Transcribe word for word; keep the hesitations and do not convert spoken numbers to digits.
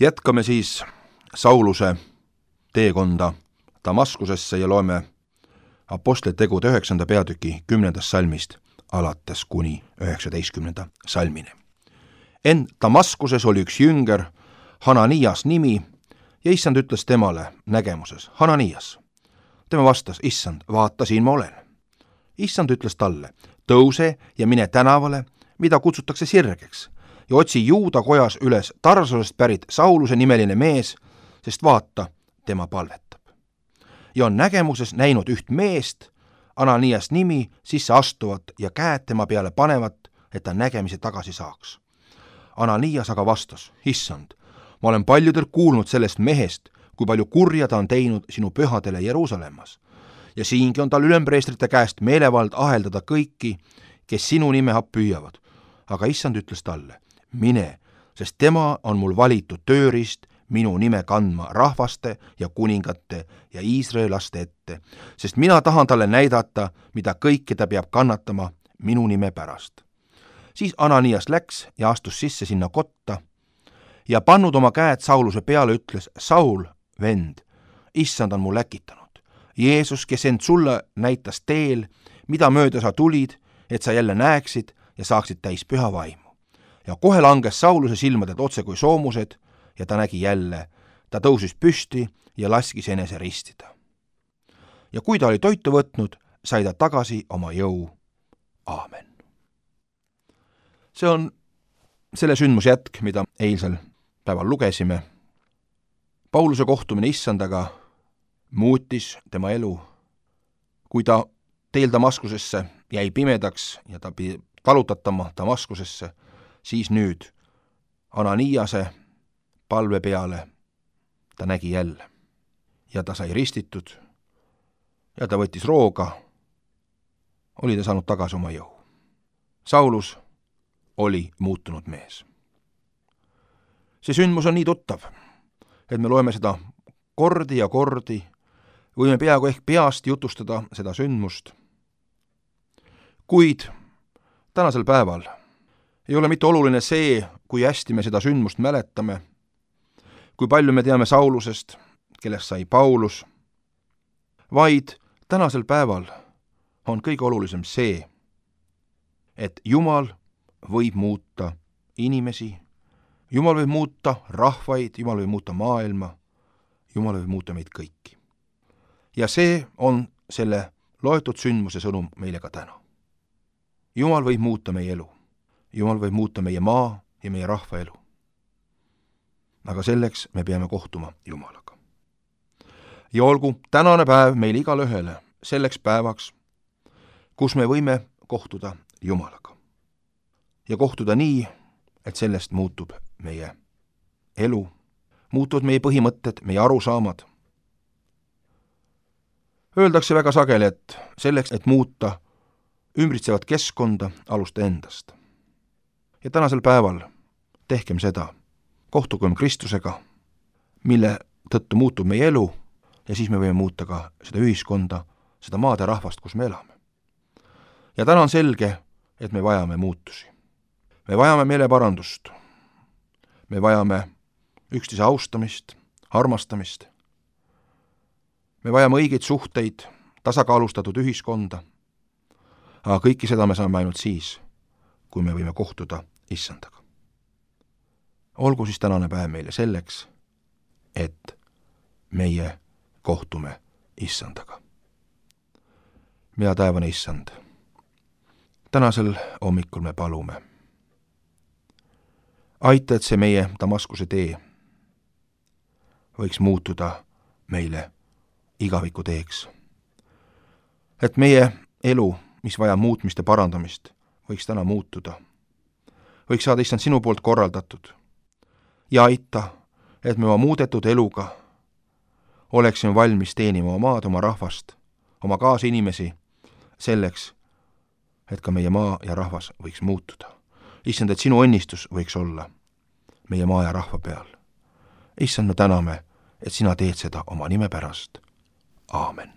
Jätkame siis Sauluse teekonda Damaskusesse ja loeme Apostlite tegude üheksanda peatüki kümnendast salmist alates kuni üheksateistkümnenda salmini. Ent Damaskuses oli üks jünger, Hananias nimi, ja issand ütles temale nägemuses: Hananias. Tema vastas: issand, vaata, siin ma olen. Issand ütles talle: tõuse ja mine tänavale, mida kutsutakse Sirgeks, ja otsi Juuda kojas üles Tarsusest pärit Sauluse nimeline mees, sest vaata, tema palvetab. Ja on nägemuses näinud üht meest, Ananias nimi, sisse astuvat ja käed tema peale panevat, et ta nägemise tagasi saaks. Ananias aga vastas: issand, ma olen paljudel kuulnud sellest mehest, kui palju kurja ta on teinud sinu pühadele Jeruusalemmas. Ja siingi on tal ülempreestrite käest meelevald aheldada kõiki, kes sinu nime püüavad. Aga issand ütles talle: mine, sest tema on mul valitud tööriist minu nime kandma rahvaste ja kuningate ja iisraelaste ette, sest mina tahan talle näidata, mida kõike ta peab kannatama minu nime pärast. Siis Ananias läks ja astus sisse sinna kotta ja pannud oma käed Sauluse peale, ütles: Saul, vend, issand on mul äkitanud. Jeesus, kes end sulle näitas teel, mida mööda sa tulid, et sa jälle näeksid ja saaksid täis püha vaimu. Ja kohe langes Sauluse silmadelt otse kui soomused ja ta nägi jälle. Ta tõusis püsti ja laskis enese ristida. Ja kui ta oli toitu võtnud, sai ta tagasi oma jõu. Aamen. See on selle sündmuse jätk, mida eilsel päeval lugesime. Pauluse kohtumine issandaga muutis tema elu. Kui ta teel Damaskusesse jäi pimedaks ja ta pidi talutatama Damaskusesse, siis nüüd Ananiase palve peale ta nägi jälle. Ja ta sai ristitud ja ta võttis rooga, oli ta saanud tagasi oma jõu. Saulus oli muutunud mees. See sündmus on nii tuttav, et me loeme seda kordi ja kordi, võime peaaegu ehk peast jutustada seda sündmust. Kuid tänasel päeval ei ole mitte oluline see, kui hästi me seda sündmust mäletame, kui palju me teame Saulusest, kellest sai Paulus, vaid tänasel päeval on kõige olulisem see, et Jumal võib muuta inimesi, Jumal võib muuta rahvaid, Jumal võib muuta maailma, Jumal võib muuta meid kõiki. Ja see on selle loetud sündmuse sõnum meile ka täna. Jumal võib muuta meie elu, Jumal võib muuta meie maa ja meie rahva elu. Aga selleks me peame kohtuma Jumalaga. Ja olgu tänane päev meil igale ühele selleks päevaks, kus me võime kohtuda Jumalaga. Ja kohtuda nii, et sellest muutub meie elu, muutuvad meie põhimõtted, meie arusaamad. Öeldakse väga sageli, et selleks, et muuta ümbritsevat keskkonda, alusta endast. Ja tänasel päeval tehkem seda, kohtugem Kristusega, mille tõttu muutub meie elu, ja siis me võime muuta ka seda ühiskonda, seda maade rahvast, kus me elame. Ja täna on selge, et me vajame muutusi. Me vajame meeleparandust. Me vajame üksteise austamist, armastamist. Me vajame õigeid suhteid, tasakaalustatud ühiskonda. Aga kõike seda me saame ainult siis, kui me võime kohtuda issandaga. Olgu siis tänane päev meile selleks, et meie kohtume issandaga. Mea taevane issand, tänasel hommikul me palume. Aita, et see meie Damaskuse tee võiks muutuda meile igaviku teeks. Et meie elu, mis vaja muutmist ja parandamist, võiks täna muutuda. Võiks saada issand sinu poolt korraldatud. Ja aita, et me oma muudetud eluga oleksime valmis teenima oma maad, oma rahvast, oma kaasinimesi selleks, et ka meie maa ja rahvas võiks muutuda. Issand, et sinu õnnistus võiks olla meie maa ja rahva peal. Issand, me täname, et sina teed seda oma nime pärast. Aamen.